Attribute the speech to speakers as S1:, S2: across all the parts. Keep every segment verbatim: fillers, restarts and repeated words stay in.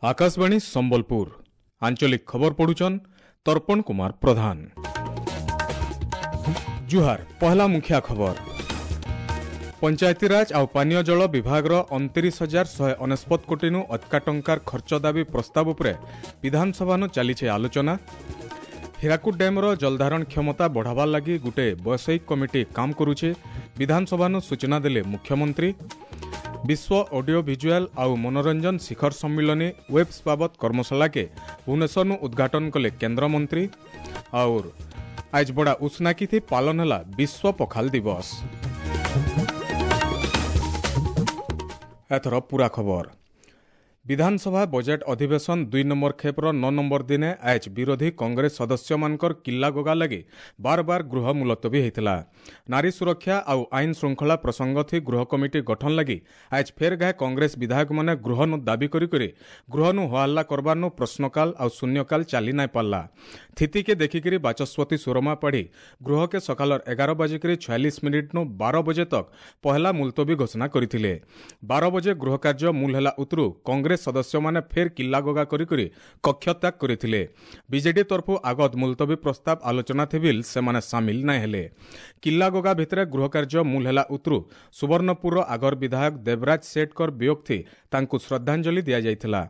S1: ଆକାଶବାଣୀ ସମ୍ବଲପୁର ଆଞ୍ଚଳିକ ଖବର ପଢୁଛନ୍ ତର୍ପଣ କୁମାର ପ୍ରଧାନ। ଜୁହାର। ପହଲା ମୁଖିଆ ଖବର। ପଞ୍ଚାୟତିରାଜ ଆଉ ପାନୀୟ ଜଳ ବିଭାଗର ଅଣତିରିଶ ହଜାର ଶହେ ଅନେଶତ କୋଟିନୁ ଅଧିକା ଟଙ୍କାର ଖର୍ଚ୍ଚ ଦାବି ପ୍ରସ୍ତାବ ଉପରେ ବିଧାନସଭାନୁ ଚାଲିছে ଆଲୋଚନା। ହୀରାକୁଦ ଡ୍ୟାମ୍ର ଜଳଧାରଣ କ୍ଷମତା ବଢ଼ାବାର୍ ଲାଗି ଗୁଟେ ବୈଷୟିକ କମିଟି କାମ କରୁଛେ, ବିଧାନସଭାନୁ ସୂଚନା ଦେଲେ ମୁଖ୍ୟମନ୍ତ୍ରୀ। ବିଶ୍ୱ ଅଡିଓ ଭିଜୁଆଲ ଆଉ ମନୋରଞ୍ଜନ ଶିଖର ସମ୍ମିଳନୀ ୱେବ୍ସ ବାବଦ କର୍ମଶାଳାକେ ଭୁବନେଶ୍ୱରନୁ ଉଦ୍ଘାଟନ କଲେ କେନ୍ଦ୍ରମନ୍ତ୍ରୀ। ଆଉର୍ ଆଜ୍ ବଡ଼ା ଉଷ୍ଣାକିଥି ପାଳନ ହେଲା ବିଶ୍ୱ ପଖାଲ ଦିବସ। ଏଥର ପୁରା ଖବର। ବିଧାନସଭା ବଜେଟ୍ ଅଧିବେଶନ ଦୁଇ ନମ୍ବର ଖେପ୍ର ନଅ ନମ୍ବର ଦିନେ ଆଜ୍ ବିରୋଧୀ କଂଗ୍ରେସ ସଦସ୍ୟମାନଙ୍କର କିଲ୍ଲା ଗୋଗା ଲାଗି ବାର ବାର ଗୃହ ମୁଲତବୀ ହୋଇଥିଲା। ନାରୀ ସୁରକ୍ଷା ଆଉ ଆଇନ ଶୃଙ୍ଖଳା ପ୍ରସଙ୍ଗ ଥି ଗୃହ କମିଟି ଗଠନ ଲାଗି ଆଜ୍ ଫେର୍ ଗାଏ କଂଗ୍ରେସ ବିଧାୟକମାନେ ଗୃହନୁ ଦାବି କରି କରି ଗୃହନୁ ହୋହାଲ୍ଲା କରବାରନୁ ପ୍ରଶ୍ନକାଲ ଆଉ ଶୂନ୍ୟକାଲ ଚାଲି ନାଇଁ ପାରିଲା। ସ୍ଥିତିକେ ଦେଖିକିରି ବାଚସ୍ପତି ସୁରମା ପାଢ଼ୀ ଗୃହକେ ସକାଳର ଏଗାର ବାଜିକରି ଛୟାଳିଶ ମିନିଟ୍ନୁ ବାର ବଜେ ତକ୍ ପହଲା ମୁଲତବୀ ଘୋଷଣା କରିଥିଲେ। ବାର ବଜେ ଗୃହ କାର୍ଯ୍ୟ ମୂଲ ହେଲା ଉତରୁ କଂଗ୍ରେସ ସଦସ୍ୟମାନେ ଫେର୍ କିଲ୍ଲାଗୋଗା କରି କରି କକ୍ଷତ୍ୟାଗ କରିଥିଲେ। ବିଜେଡି ତରଫୁ ଆଗତ ମୁଲତବୀ ପ୍ରସ୍ତାବ ଆଲୋଚନା ଥିବିଲ୍ ସେମାନେ ସାମିଲ ନାଇଁ ହେଲେ। କିଲ୍ଲାଗୋଗା ଭିତରେ ଗୃହ କାର୍ଯ୍ୟ ମୂଲ ହେଲା ଉତରୁ ସୁବର୍ଣ୍ଣପୁରର ଆଗର ବିଧାୟକ ଦେବରାଜ ସେଠଙ୍କର ବିୟୋଗ ଥି ତାଙ୍କୁ ଶ୍ରଦ୍ଧାଞ୍ଜଳି ଦିଆଯାଇଥିଲା।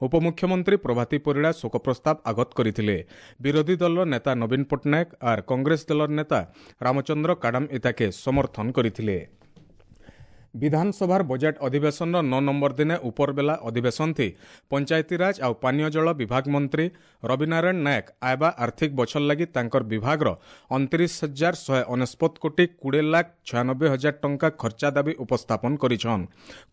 S1: ଉପମୁଖ୍ୟମନ୍ତ୍ରୀ ପ୍ରଭାତୀ ପରିଡ଼ା ଶୋକ ପ୍ରସ୍ତାବ ଆଗତ କରିଥିଲେ। ବିରୋଧୀ ଦଳର ନେତା ନବୀନ ପଟ୍ଟନାୟକ ଆର୍ କଂଗ୍ରେସ ଦଳର ନେତା ରାମଚନ୍ଦ୍ର କାଡାମ ଇତାକେ ସମର୍ଥନ କରିଥିଲେ। ବିଧାନସଭାର ବଜେଟ୍ ଅଧିବେଶନର ନଅ ନମ୍ବର ଦିନେ ଉପରବେଲା ଅଧିବେଶନ ଥି ପଞ୍ଚାୟତିରାଜ ଆଉ ପାନୀୟ ଜଳ ବିଭାଗ ମନ୍ତ୍ରୀ ରବିନାରାୟଣ ନାୟକ ଆଇବା ଆର୍ଥିକ ବଛର ଲାଗି ତାଙ୍କର ବିଭାଗର ଅଣତିରିଶ ହଜାର ଶହେ ଅନେଶତ କୋଟି କୋଡ଼ିଏ ଲାଖ ଛୟାନବେ ହଜାର ଟଙ୍କା ଖର୍ଚ୍ଚା ଦାବି ଉପସ୍ଥାପନ କରିଛନ୍।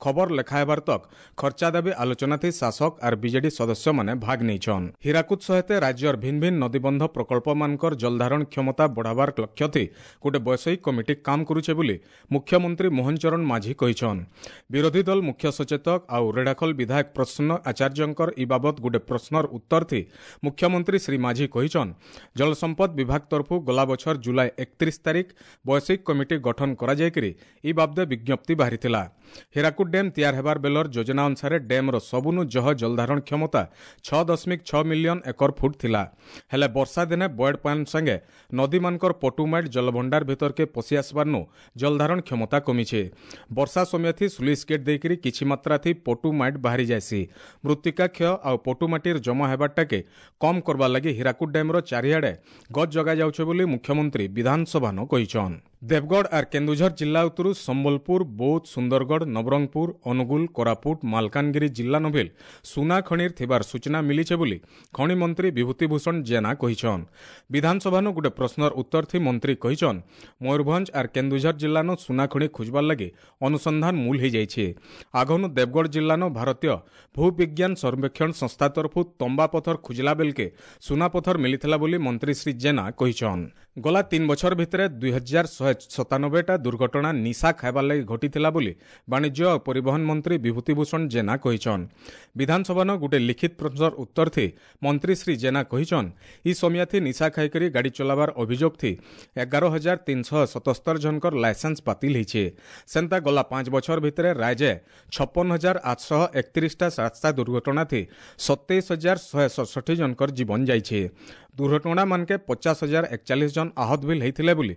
S1: ଖବର ଲେଖା ହେବାର ତକ୍ ଖର୍ଚ୍ଚା ଦାବି ଆଲୋଚନା ଥି ଶାସକ ଆର୍ ବିଜେଡି ସଦସ୍ୟମାନେ ଭାଗ ନେଇଛନ୍। ହୀରାକୁଦ ସହିତ ରାଜ୍ୟର ଭିନ୍ନ ଭିନ୍ନ ନଦୀବନ୍ଧ ପ୍ରକଳ୍ପମାନଙ୍କର ଜଳଧାରଣ କ୍ଷମତା ବଢ଼ାବାର ଲକ୍ଷ୍ୟ ଥି ଗୋଟେ ବୈଷୟିକ କମିଟି କାମ କରୁଛେ ବୋଲି ମୁଖ୍ୟମନ୍ତ୍ରୀ ମୋହନ ଚରଣ ମାଝୀ କହିଛନ୍। ବିରୋଧୀ ଦଳ ମୁଖ୍ୟ ସଚେତକ ଆଉ ରେଢ଼ାଖୋଲ ବିଧାୟକ ପ୍ରସନ୍ନ ଆଚାର୍ଯ୍ୟଙ୍କର ଇ ବାବଦ ଗୋଟେ ପ୍ରଶ୍ନର ଉତ୍ତର ଥି ମୁଖ୍ୟମନ୍ତ୍ରୀ ଶ୍ରୀ ମାଝୀ କହିଛନ୍, ଜଳସମ୍ପଦ ବିଭାଗ ତରଫୁ ଗଲା ବଛର ଜୁଲାଇ ଏକତିରିଶ ତାରିଖ ବୈଷୟିକ କମିଟି ଗଠନ କରାଯାଇକରି ଇ ବାବଦେ ବିଜ୍ଞପ୍ତି ବାହାରିଥିଲା। ହୀରାକୁଦ ଡ୍ୟାମ୍ ତିଆର ହେବାର ବେଲର ଯୋଜନା ଅନୁସାରେ ଡ୍ୟାମ୍ର ସବୁନୁ ଜହ ଜଳଧାରଣ କ୍ଷମତା ଛଅ ଦଶମିକ ଛଅ ମିଲିୟନ ଏକର ଫୁଟ ଥିଲା। ହେଲେ ବର୍ଷା ଦିନେ ବଏଡ୍ ପାନ୍ ସାଙ୍ଗେ ନଦୀମାନଙ୍କର ପଟୁମାଇଟ୍ ଜଳଭଣ୍ଡାର ଭିତରକେ ପଶି ଆସିବାରନୁ ଜଳଧାରଣ କ୍ଷମତା କମିଛେ। ବର୍ଷା ସମୟ ଥି ସୁଲିସ୍ ଗେଟ୍ ଦେଇକରି କିଛି ମାତ୍ରା ଥି ପଟୁ ମାଇଟ୍ ବାହାରି ଯାଏସି। ମୃତ୍ତିକା କ୍ଷୟ ଆଉ ପଟୁ ମାଟିର ଜମା ହେବାରଟାକେ କମ୍ କରବାର୍ ଲାଗି ହୀରାକୁଦ ଡ୍ୟାମ୍ର ଚାରିଆଡ଼େ ଗଛ ଜଗାଯାଉଛେ ବୋଲି ମୁଖ୍ୟମନ୍ତ୍ରୀ ବିଧାନସଭାନ କହିଛନ୍। ଦେବଗଡ଼ ଆର୍ କେନ୍ଦୁଝର ଜିଲ୍ଲା ଉତ୍ତରୁ ସମ୍ବଲପୁର, ବୌଦ୍ଧ, ସୁନ୍ଦରଗଡ଼, ନବରଙ୍ଗପୁର, ଅନୁଗୁଳ, କୋରାପୁଟ, ମାଲକାନଗିରି ଜିଲ୍ଲା ନଭିଲ ସୁନା ଖଣିର ଥିବାର ସୂଚନା ମିଳିছে ବୋଲି ଖଣି ମନ୍ତ୍ରୀ ବିଭୂତିଭୂଷଣ ଜେନା କହିଛନ୍। ବିଧାନସଭାନୁ ଗୋଟେ ପ୍ରଶ୍ନର ଉତ୍ତର ଥି ମନ୍ତ୍ରୀ କହିଛନ୍, ମୟୂରଭଞ୍ଜ ଆର୍ କେନ୍ଦୁଝର ଜିଲ୍ଲାନୁ ସୁନା ଖଣି ଖୋଜବାର୍ ଲାଗି ଅନୁସନ୍ଧାନ ମୂଲ ହେଇଯାଇଛି। ଆଗନୁ ଦେବଗଡ଼ ଜିଲ୍ଲାନୁ ଭାରତୀୟ ଭୂବିଜ୍ଞାନ ସର୍ବେକ୍ଷଣ ସଂସ୍ଥା ତରଫୁ ତମ୍ବା ପଥର ଖୋଜିଲା ବେଲକେ ସୁନା ପଥର ମିଳିଥିଲା ବୋଲି ମନ୍ତ୍ରୀ ଶ୍ରୀ ଜେନା କହିଛନ୍। ଗଲା ତିନି ବଛର ଭିତରେ ଦୁଇ ହଜାର ଶହେ ସତାନବେଟା ଦୁର୍ଘଟଣା ନିଶା ଖାଇବାର ଲାଗି ଘଟିଥିଲା ବୋଲି ବାଣିଜ୍ୟ ଓ ପରିବହନ ମନ୍ତ୍ରୀ ବିଭୂତିଭୂଷଣ ଜେନା କହିଛନ୍। ବିଧାନସଭାନ ଗୋଟେ ଲିଖିତ ପ୍ରଶ୍ନର ଉତ୍ତର ଥି ମନ୍ତ୍ରୀ ଶ୍ରୀ ଜେନା କହିଛନ୍, ଇ ସମିୟାଥି ନିଶା ଖାଇକରି ଗାଡ଼ି ଚଲାବାର ଅଭିଯୋଗ ଥି ଏଗାର ହଜାର ତିନିଶହ ସତସ୍ତର ଜଣଙ୍କର ଲାଇସେନ୍ସ ବାତିଲ ହେଇଛେ। ସେନ୍ତା ଗଲା ପାଞ୍ଚ ବଛର ଭିତରେ ରାଜ୍ୟ ଛପନ ହଜାର ଆଠଶହ ଏକତିରିଶଟା ରାସ୍ତା ଦୁର୍ଘଟଣା ଥି ସତେଇଶ ହଜାର ଶହେ ସତଷଠି ଜଣଙ୍କର ଜୀବନ ଯାଇଛେ। ଦୁର୍ଘଟଣା ମାନକେ ପଚାଶ ହଜାର ଏକଚାଳିଶ ଜଣ ଆହତ ବିଲ୍ ହେଇଥିଲେ ବୋଲି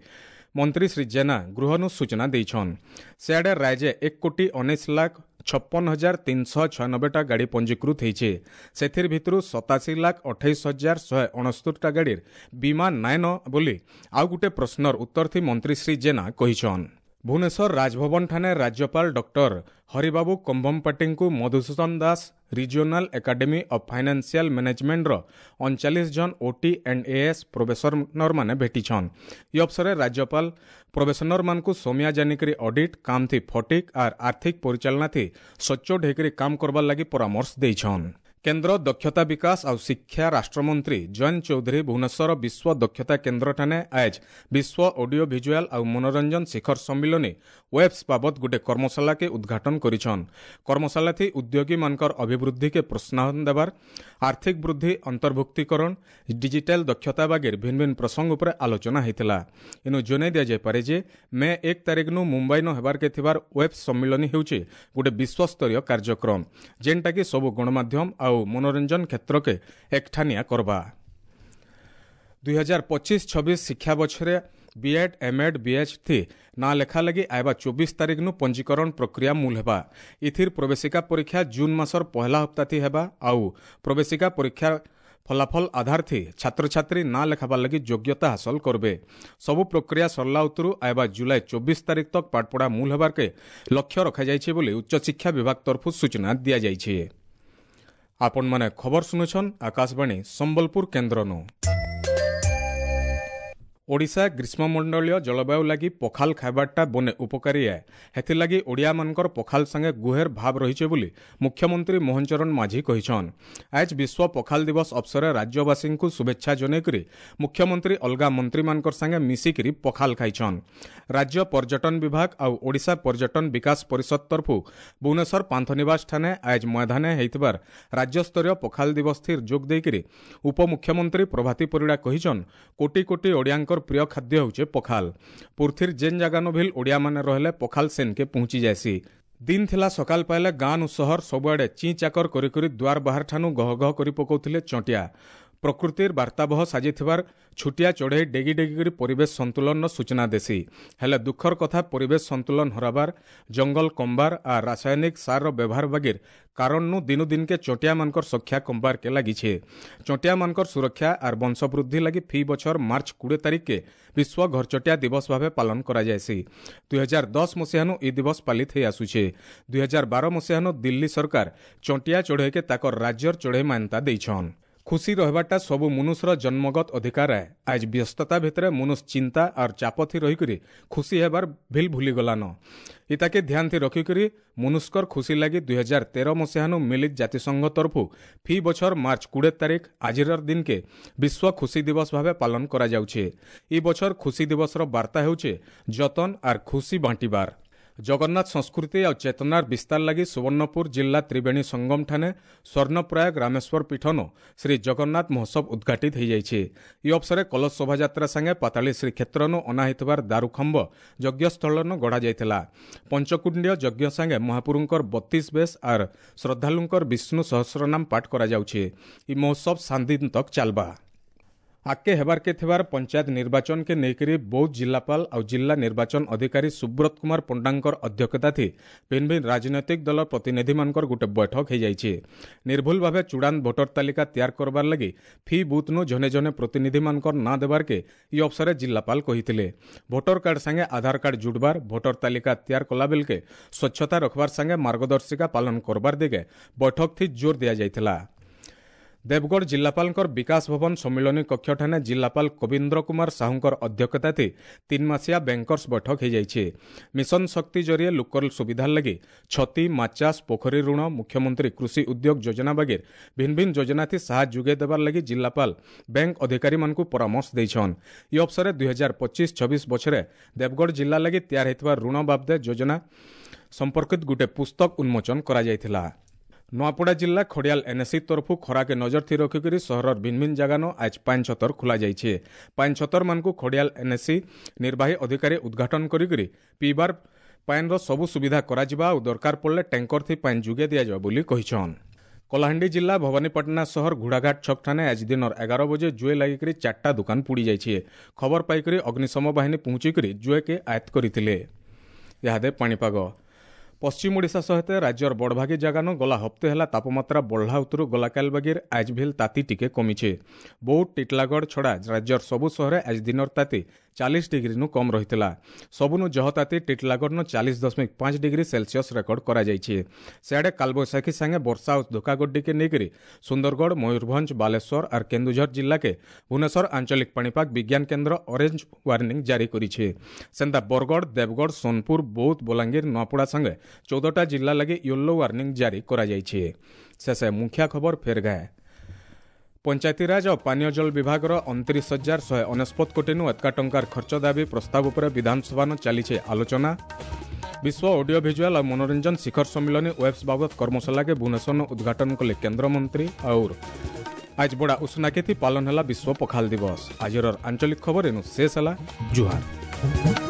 S1: ମନ୍ତ୍ରୀ ଶ୍ରୀ ଜେନା ଗୃହନୁ ସୂଚନା ଦେଇଛନ୍। ସେଆଡ଼େ ରାଜ୍ୟ ଏକ କୋଟି ଉଣେଇଶ ଲାଖ ଛପନ ହଜାର ତିନିଶହ ଛୟାନବେଟା ଗାଡ଼ି ପଞ୍ଜୀକୃତ ହେଇଛେ। ସେଥିର ଭିତରୁ ସତାଅଶୀ ଲାଖ ଅଠେଇଶ ହଜାର ଶହେ ଅଣସ୍ତରୀଟା ଗାଡ଼ିର ବୀମା ନାଇନ ବୋଲି ଆଉ ଗୋଟେ ପ୍ରଶ୍ନର ଉତ୍ତର ଥି ମନ୍ତ୍ରୀ ଶ୍ରୀ ଜେନା କହିଛନ୍। ଭୁବନେଶ୍ୱର ରାଜଭବନ ଠାନେ ରାଜ୍ୟପାଳ ଡକ୍ଟର ହରିବାବୁ କମ୍ଭମପାଟିଙ୍କୁ Madhusudan Das regional academy of financial ମ୍ୟାନେଜମେଣ୍ଟର ଅଣଚାଳିଶ ଜଣ ଓଟି ଆଣ୍ଡ ଏଏସ୍ ପ୍ରୋବେସନରମାନେ ଭେଟିଛନ୍। ଇ ଅବସରରେ ରାଜ୍ୟପାଳ ପ୍ରୋବେସନରମାନଙ୍କୁ ସମିଆ ଜାନିକରି ଅଡିଟ୍ କାମ ଥି ଫଟିକ୍ ଆର୍ ଆର୍ଥିକ ପରିଚାଳନା ଥି ସଚ୍ଚୋଟ ହେଇକରି କାମ କରବାର୍ ଲାଗି ପରାମର୍ଶ ଦେଇଛନ୍। କେନ୍ଦ୍ର ଦକ୍ଷତା ବିକାଶ ଆଉ ଶିକ୍ଷା ରାଷ୍ଟ୍ରମନ୍ତ୍ରୀ ଜୟନ୍ତ ଚୌଧୁରୀ ଭୁବନେଶ୍ୱର ବିଶ୍ୱ ଦକ୍ଷତା କେନ୍ଦ୍ରଠାନେ ଆଜ୍ ବିଶ୍ୱ ଅଡିଓ ଭିଜୁଆଲ ଆଉ ମନୋରଞ୍ଜନ ଶିଖର ସମ୍ମିଳନୀ ୱେବ୍ସ ବାବଦ ଗୋଟେ କର୍ମଶାଳାକେ ଉଦ୍ଘାଟନ କରିଛନ୍। କର୍ମଶାଳାଥି ଉଦ୍ୟୋଗୀମାନଙ୍କର ଅଭିବୃଦ୍ଧିକେ ପ୍ରୋତ୍ସାହନ ଦେବାର, ଆର୍ଥିକ ବୃଦ୍ଧି, ଅନ୍ତର୍ଭୁକ୍ତୀକରଣ, ଡିଜିଟାଲ ଦକ୍ଷତା ବାଗିର ଭିନ୍ନ ଭିନ୍ନ ପ୍ରସଙ୍ଗ ଉପରେ ଆଲୋଚନା ହେଇଥିଲା। ଇନୁ ଜଣାଇ ଦିଆଯାଇପାରେ ଯେ ମେ ଏକ ତାରିଖନୁ ମୁମ୍ବାଇନ ହେବାରକେ ଥିବାର ୱେବ୍ସ ସମ୍ମିଳନୀ ହେଉଛି ଗୋଟେ ବିଶ୍ୱସ୍ତରୀୟ କାର୍ଯ୍ୟକ୍ରମ, ଯେନ୍ଟାକି ସବୁ ଗଣମାଧ୍ୟମ ଆଉ ଆଉ ମନୋରଞ୍ଜନ କ୍ଷେତ୍ରକେ ଏକଠାନିଆ କରବା। ଦୁଇ ହଜାର ପଚିଶ ଛବିଶ ଶିକ୍ଷା ବଛରେ ବିଏଡ୍, ଏମ୍ଏଡ୍, ବିଏଚ୍ ଥି ନାଁ ଲେଖା ଲାଗି ଆଇବା ଚବିଶ ତାରିଖନୁ ପଞ୍ଜୀକରଣ ପ୍ରକ୍ରିୟା ମୂଲ ହେବା। ଇଥିର ପ୍ରବେଶିକା ପରୀକ୍ଷା ଜୁନ୍ ମାସର ପହଲା ହପ୍ତାଥି ହେବା ଆଉ ପ୍ରବେଶିକା ପରୀକ୍ଷା ଫଲାଫଲ ଆଧାର ଥି ଛାତ୍ରଛାତ୍ରୀ ନାଁ ଲେଖାବାର ଲାଗି ଯୋଗ୍ୟତା ହାସଲ କରବେ। ସବୁ ପ୍ରକ୍ରିୟା ସରିଲା ଉତ୍ତରୁ ଆଇବା ଜୁଲାଇ ଚବିଶ ତାରିଖ ତକ ପାଠପଢ଼ା ମୂଲ ହେବାରକେ ଲକ୍ଷ୍ୟ ରଖାଯାଇଛି ବୋଲି ଉଚ୍ଚଶିକ୍ଷା ବିଭାଗ ତରଫରୁ ସୂଚନା ଦିଆଯାଇଛି। ଆପଣମାନେ ଖବର ଶୁଣୁଛନ୍ ଆକାଶବାଣୀ ସମ୍ବଲପୁର କେନ୍ଦ୍ରନୁ। ଓଡ଼ିଶା ଗ୍ରୀଷ୍ମମଣ୍ଡଳୀୟ ଜଳବାୟୁ ଲାଗି ପଖାଲ ଖାଇବାରଟା ବନେ ଉପକାରୀ ଏ, ହେଥିର୍ଲାଗି ଓଡ଼ିଆମାନଙ୍କର ପଖାଲ ସାଙ୍ଗେ ଗୁହେର ଭାବ ରହିଛେ ବୋଲି ମୁଖ୍ୟମନ୍ତ୍ରୀ ମୋହନ ଚରଣ ମାଝୀ କହିଛନ୍। ଆଜ୍ ବିଶ୍ୱ ପଖାଲ ଦିବସ ଅବସରରେ ରାଜ୍ୟବାସୀଙ୍କୁ ଶୁଭେଚ୍ଛା ଜଣାଇକରି ମୁଖ୍ୟମନ୍ତ୍ରୀ ଅଲଗା ମନ୍ତ୍ରୀମାନଙ୍କର ସାଙ୍ଗେ ମିଶିକିରି ପଖାଲ ଖାଇଛନ୍। ରାଜ୍ୟ ପର୍ଯ୍ୟଟନ ବିଭାଗ ଆଉ ଓଡ଼ିଶା ପର୍ଯ୍ୟଟନ ବିକାଶ ପରିଷଦ ତରଫୁ ଭୁବନେଶ୍ୱର ପାନ୍ଥନିବାସ ଠାନେ ଆଜ୍ ମୈଦାନେ ହେଇଥିବାର ରାଜ୍ୟସ୍ତରୀୟ ପଖାଲ ଦିବସ ଥିର୍ ଯୋଗ ଦେଇକରି ଉପମୁଖ୍ୟମନ୍ତ୍ରୀ ପ୍ରଭାତୀ ପରିଡ଼ା କହିଛନ୍, କୋଟି କୋଟି ଓଡ଼ିଆଙ୍କର ପ୍ରିୟ ଖାଦ୍ୟ ହେଉଛେ ପଖାଲ। ପୃଥିର ଯେନ୍ ଜାଗାନୁ ଭିଲ୍ ଓଡ଼ିଆମାନେ ରହିଲେ ପଖାଲ ସେନ୍କେ ପହଞ୍ଚି ଯାଏସି। ଦିନ ଥିଲା ସକାଳ ପାଇଲେ ଗାଁ ନୁ ସହର ସବୁଆଡ଼େ ଚିଁ ଚାକର କରି କରି ଦ୍ୱାର ବାହାର ଠାନୁ ଗହ ଗହ କରି ପକାଉଥିଲେ ଚଟିଆ। ପ୍ରକୃତିର ବାର୍ତ୍ତାବହ ସାଜିଥିବାର ଛୁଟିଆ ଚଢ଼େଇ ଡେଗି ଡେଗି କରି ପରିବେଶ ସନ୍ତୁଲନର ସୂଚନା ଦେସି। ହେଲେ ଦୁଃଖର କଥା, ପରିବେଶ ସନ୍ତୁଲନ ହରାବାର, ଜଙ୍ଗଲ କମବାର ଆର୍ ରାସାୟନିକ ସାରର ବ୍ୟବହାର ବାଗିର କାରଣନୁ ଦିନୁ ଦିନକେ ଚଟିଆମାନଙ୍କର ସଂଖ୍ୟା କମବାରକେ ଲାଗିଛେ। ଚଟିଆମାନଙ୍କର ସୁରକ୍ଷା ଆର୍ ବଂଶବୃଦ୍ଧି ଲାଗି ଫି ବଛର ମାର୍ଚ୍ଚ କୋଡ଼ିଏ ତାରିଖକେ ବିଶ୍ୱ ଘରଚଟିଆ ଦିବସ ଭାବେ ପାଳନ କରାଯାଏସି। ଦୁଇ ହଜାର ଦଶ ମସିହାନୁ ଇ ଦିବସ ପାଳିତ ହେଇ ଆସୁଛେ। ଦୁଇ ହଜାର ବାର ମସିହାନୁ ଦିଲ୍ଲୀ ସରକାର ଚଟିଆ ଚଢ଼େଇକେ ତାକର ରାଜ୍ୟର ଚଢ଼େଇ ମାନ୍ୟତା ଦେଇଛନ୍। ଖୁସି ରହିବାଟା ସବୁ ମନୁଷ୍ୟର ଜନ୍ମଗତ ଅଧିକାର ଏ। ଆଜ୍ ବ୍ୟସ୍ତତା ଭିତରେ ମନୁଷ ଚିନ୍ତା ଆର୍ ଚାପଥି ରହିକରି ଖୁସି ହେବାର ଭିଲ୍ ଭୁଲିଗଲାନ। ଇତାକେ ଧ୍ୟାନ ଥି ରଖିକରି ମନୁଷ୍କର ଖୁସି ଲାଗି ଦୁଇ ହଜାର ତେର ମସିହାନୁ ମିଳିତ ଜାତିସଂଘ ତରଫୁ ଫି ବଛର ମାର୍ଚ୍ଚ କୋଡ଼ିଏ ତାରିଖ ଆଜିର ଦିନକେ ବିଶ୍ୱ ଖୁସି ଦିବସ ଭାବେ ପାଳନ କରାଯାଉଛି। ଇ ବଛର ଖୁସି ଦିବସର ବାର୍ତ୍ତା ହେଉଛେ ଯତନ ଆର୍ ଖୁସି ବାଣ୍ଟିବାର। ଜଗନ୍ନାଥ ସଂସ୍କୃତି ଆଉ ଚେତନାର ବିସ୍ତାର ଲାଗି ସୁବର୍ଣ୍ଣପୁର ଜିଲ୍ଲା ତ୍ରିବେଣୀ ସଙ୍ଗମଠାନେ ସ୍ୱର୍ଣ୍ଣପ୍ରୟାଗ ରାମେଶ୍ୱର ପୀଠନ ଶ୍ରୀ ଜଗନ୍ନାଥ ମହୋତ୍ସବ ଉଦ୍ଘାଟିତ ହୋଇଯାଇଛି। ଇ ଅବସରେ କଲଶ ଶୋଭାଯାତ୍ରା ସାଙ୍ଗେ ପାତାଳୀ ଶ୍ରୀକ୍ଷେତ୍ରନୁ ଅଣା ହୋଇଥିବାର ଦାରୁଖମ୍ବ ଯଜ୍ଞସ୍ଥଳନୁ ଗଢ଼ାଯାଇଥିଲା। ପଞ୍ଚକୁଣ୍ଡୀୟ ଯଜ୍ଞ ସାଙ୍ଗେ ମହାପୁରୁଙ୍କର ବତିଶ ବେଶ ଆର୍ ଶ୍ରଦ୍ଧାଳୁଙ୍କର ବିଷ୍ଣୁ ସହସ୍ରନାମ ପାଠ କରାଯାଉଛି। ଇ ମହୋତ୍ସବ ସାତ ଦିନ ତକ୍ ଚାଲବା। ଆଗକେ ହେବାରକେ ଥିବାର ପଞ୍ଚାୟତ ନିର୍ବାଚନକେ ନେଇକରି ବୌଦ୍ଧ ଜିଲ୍ଲାପାଳ ଆଉ ଜିଲ୍ଲା ନିର୍ବାଚନ ଅଧିକାରୀ ସୁବ୍ରତ କୁମାର ପଣ୍ଡାଙ୍କର ଅଧ୍ୟକ୍ଷତା ଥି ଭିନ୍ନ ଭିନ୍ନ ରାଜନୈତିକ ଦଳର ପ୍ରତିନିଧିମାନଙ୍କର ଗୋଟେ ବୈଠକ ହୋଇଯାଇଛି। ନିର୍ଭୁଲ ଭାବେ ଚୂଡ଼ାନ୍ତ ଭୋଟର ତାଲିକା ତିଆର କରବାର ଲାଗି ଫି ବୁଥ୍ନୁ ଜନେ ଜନେ ପ୍ରତିନିଧିମାନଙ୍କର ନାଁ ଦେବାରକେ ଇ ଅବସରେ ଜିଲ୍ଲାପାଳ କହିଥିଲେ। ଭୋଟର କାର୍ଡ ସାଙ୍ଗେ ଆଧାର କାର୍ଡ ଜୁଡ଼ବାର, ଭୋଟର ତାଲିକା ତିଆର କଲା ବେଲକେ ସ୍ୱଚ୍ଛତା ରଖବାର ସାଙ୍ଗେ ମାର୍ଗଦର୍ଶିକା ପାଳନ କରବାର ଦିଗେ ବୈଠକ ଥି ଜୋର ଦିଆଯାଇଥିଲା। ଦେବଗଡ଼ ଜିଲ୍ଲାପାଳଙ୍କର ବିକାଶ ଭବନ ସମ୍ମିଳନୀ କକ୍ଷଠାନେ ଜିଲ୍ଲାପାଳ କବୀନ୍ଦ୍ର କୁମାର ସାହୁଙ୍କର ଅଧ୍ୟକ୍ଷତା ଥି ତିନ୍ ମାସିଆ ବ୍ୟାଙ୍କର୍ସ ବୈଠକ ହୋଇଯାଇଛି। ମିଶନ ଶକ୍ତି ଜରିଏ ଲୋକର ସୁବିଧା ଲାଗି ଛତି, ମାଛଚାଷ, ପୋଖରୀ ଋଣ, ମୁଖ୍ୟମନ୍ତ୍ରୀ କୃଷି ଉଦ୍ୟୋଗ ଯୋଜନା ବାଗିର ଭିନ୍ନ ଭିନ୍ନ ଯୋଜନା ଥି ସାହାଯ୍ୟ ଯୋଗାଇ ଦେବାର ଲାଗି ଜିଲ୍ଲାପାଳ ବ୍ୟାଙ୍କ ଅଧିକାରୀମାନଙ୍କୁ ପରାମର୍ଶ ଦେଇଛନ୍। ଇ ଅବସରେ ଦୁଇ ହଜାର ପଚିଶ ଛବିଶ ବଛରେ ଦେବଗଡ଼ ଜିଲ୍ଲା ଲାଗି ତିଆର ହୋଇଥିବା ଋଣ ବାବଦେ ଯୋଜନା ସମ୍ପର୍କିତ ଗୋଟେ ପୁସ୍ତକ ଉନ୍ମୋଚନ କରାଯାଇଥିଲା। ନୂଆପଡ଼ା ଜିଲ୍ଲା ଖଡ଼ିଆଲ ଏନ୍ଏସି ତରଫୁ ଖରାକେ ନଜର ଥି ରଖିକରି ସହରର ଭିନ୍ନ ଭିନ୍ନ ଜାଗାନ ଆଜ୍ ପାନ୍ ଛତର ଖୋଲାଯାଇଛି। ପାନ୍ ଛତରମାନଙ୍କୁ ଖଡ଼ିଆଲ ଏନ୍ଏସି ନିର୍ବାହୀ ଅଧିକାରୀ ଉଦ୍ଘାଟନ କରିକରି ପିଇବାର ପାଏନ୍ର ସବୁ ସୁବିଧା କରାଯିବା ଆଉ ଦରକାର ପଡ଼ିଲେ ଟ୍ୟାଙ୍କର ଥି ପାଏନ୍ ଯୋଗାଇ ଦିଆଯିବ ବୋଲି କହିଛନ୍। କଳାହାଣ୍ଡି ଜିଲ୍ଲା ଭବାନୀପାଟଣା ସହର ଘୋଡ଼ାଘାଟ ଛକଠାନେ ଆଜି ଦିନର ଏଗାର ବଜେ ଜୁଏ ଲାଗିକରି ଚାରିଟା ଦୋକାନ ପୋଡ଼ି ଯାଇଛି। ଖବର ପାଇକରି ଅଗ୍ନିଶମ ବାହିନୀ ପହଞ୍ଚିକରି ଜୁଏକେ ଆୟତ୍ତ କରିଥିଲେ। ଇହାଦେ ପାଣିପାଗ ପଶ୍ଚିମ ଓଡ଼ିଶା ସହିତ ରାଜ୍ୟର ବଡ଼ଭାଗୀ ଜାଗାନୁ ଗଲା ହପ୍ତେ ହେଲା ତାପମାତ୍ରା ବଢ଼ଲା ଉତରୁ ଗଲାକାଲ ବାଗିର ଆଜ୍ ଭିଲ୍ ତାତି ଟିକେ କମିଛେ। ବୌଦ୍ଧ, ଟିଟଲାଗଡ଼ ଛଡ଼ା ରାଜ୍ୟର ସବୁ ସହରେ ଆଜ ଦିନର ତାତି ଚାଳିଶ ଡିଗ୍ରୀନୁ କମ୍ ରହିଥିଲା। ସବୁନୁ ଜହ ତାତି ଟିଟଲାଗଡ଼ନୁ ଚାଳିଶ ଦଶମିକ ପାଞ୍ଚ ଡିଗ୍ରୀ ସେଲସିୟସ୍ ରେକର୍ଡ କରାଯାଇଛି। ସିଆଡ଼େ କାଲବୈଶାଖୀ ସାଙ୍ଗେ ବର୍ଷା ଆଉ ଧୋକାଗड्डीକେ ନେଇକରି ସୁନ୍ଦରଗଡ଼, ମୟୂରଭଞ୍ଜ, ବାଲେଶ୍ୱର ଆର୍ କେନ୍ଦୁଝର ଜିଲ୍ଲାକେ ଭୁବନେଶ୍ୱର ଆଞ୍ଚଳିକ ପାଣିପାଗ ବିଜ୍ଞାନ କେନ୍ଦ୍ର ଅରେଞ୍ଜ ୱାର୍ଣ୍ଣିଂ ଜାରି କରିছে। ସେନ୍ତା ବରଗଡ଼, ଦେବଗଡ଼, ସୋନପୁର, ବୌଦ୍ଧ, ବଲାଙ୍ଗୀର, ନୂଆପଡ଼ା ସାଙ୍ଗେ ଚଉଦଟା ଜିଲ୍ଲା ଲାଗି ୟେଲୋ ୱାର୍ଣ୍ଣିଂ ଜାରି କରାଯାଇଛି। ଶେଷେ ମୁଖ୍ୟ ଖବର ଫେର ଗାଏ। ପଞ୍ଚାୟତିରାଜ ଓ ପାନୀୟ ଜଳ ବିଭାଗର ଅଣତିରିଶ ହଜାର ଶହେ ଅନେଶତ କୋଟିନୁ ଏତକା ଟଙ୍କାର ଖର୍ଚ୍ଚ ଦାବି ପ୍ରସ୍ତାବ ଉପରେ ବିଧାନସଭାନ ଚାଲିছে ଆଲୋଚନା। ବିଶ୍ୱ ଅଡିଓ ଭିଜୁଆଲ ଆଉ ମନୋରଞ୍ଜନ ଶିଖର ସମ୍ମିଳନୀ ୱେବ୍ସ ବାବଦ କର୍ମଶାଳାକେ ଭୁବନେଶ୍ୱର ଉଦ୍ଘାଟନ କଲେ କେନ୍ଦ୍ରମନ୍ତ୍ରୀ। और आज बड़ा उष्णाकेथी पालन ହେଲା ବିଶ୍ୱ ପଖାଲ ଦିବସ। ଆଜିର ଆଞ୍ଚଳିକ ଖବର ଏନୁ ଶେଷ ହେଲା। ଜୁହାର।